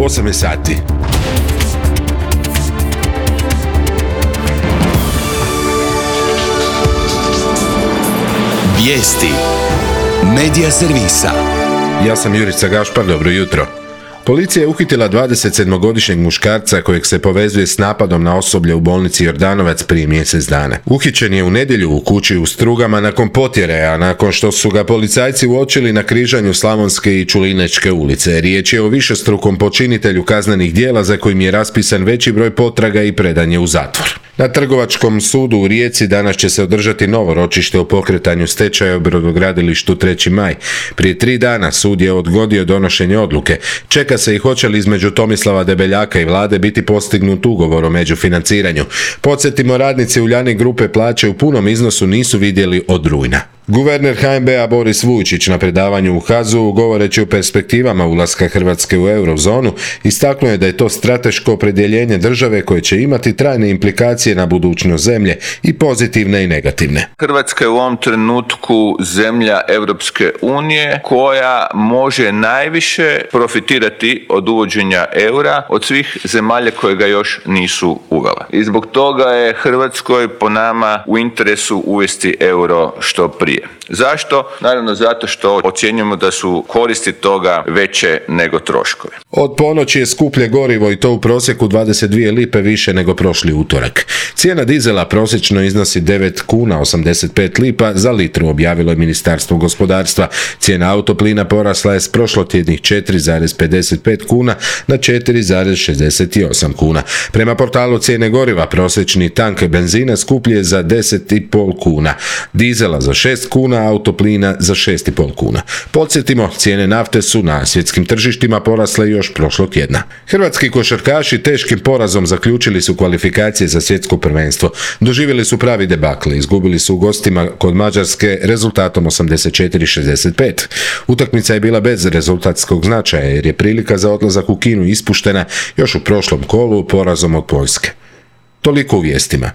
8 je sati. Vijesti Medija servisa. Ja sam Jurica Gašpar, dobro jutro. Policija je uhitila 27-godišnjeg muškarca kojeg se povezuje s napadom na osoblje u bolnici Jordanovac prije mjesec dana. Uhićen je u nedjelju u kući u Strugama nakon potjere, a nakon što su ga policajci uočili na križanju Slavonske i Čulinečke ulice. Riječ je o višestrukom počinitelju kaznenih djela za kojim je raspisan veći broj potraga i predan je u zatvor. Na Trgovačkom sudu u Rijeci danas će se održati novo ročište o pokretanju stečaja u brodogradilištu 3. maj. Prije 3 dana sud je odgodio donošenje odluke. Čeka se i hoće li između Tomislava Debeljaka i vlade biti postignut ugovor o međufinanciranju. Podsjetimo, radnici Uljanik grupe plaće u punom iznosu nisu vidjeli od rujna. Guverner HNB-a Boris Vujčić na predavanju u HAZU, govoreći o perspektivama ulaska Hrvatske u eurozonu, istaknuo je da je to strateško opredjeljenje države koje će imati trajne implikacije na budućnost zemlje, i pozitivne i negativne. Hrvatska je u ovom trenutku zemlja Europske unije koja može najviše profitirati od uvođenja eura od svih zemalja koje ga još nisu uvele. I zbog toga je Hrvatskoj po nama u interesu uvesti euro što prije. Zašto? Naravno zato što ocjenjujemo da su koristi toga veće nego troškovi. Od ponoći je skuplje gorivo, i to u prosjeku 22 lipe više nego prošli utorak. Cijena dizela prosječno iznosi 9 kuna 85 lipa za litru, objavilo je Ministarstvo gospodarstva. Cijena autoplina porasla je s prošlotjednih 4,55 kuna na 4,68 kuna. Prema portalu cijene goriva prosječni tank benzina skuplji je za 10,5 kuna, dizela za 6 kuna, autoplina za 6,5 kuna. Podsjetimo, cijene nafte su na svjetskim tržištima porasle još prošlog tjedna. Hrvatski košarkaši teškim porazom zaključili su kvalifikacije za svjetsko prvenstvo. Doživjeli su pravi debakl, izgubili su u gostima kod Mađarske rezultatom 84-65. Utakmica je bila bez rezultatskog značaja jer je prilika za odlazak u Kinu ispuštena još u prošlom kolu porazom od Poljske. Toliko u vijestima.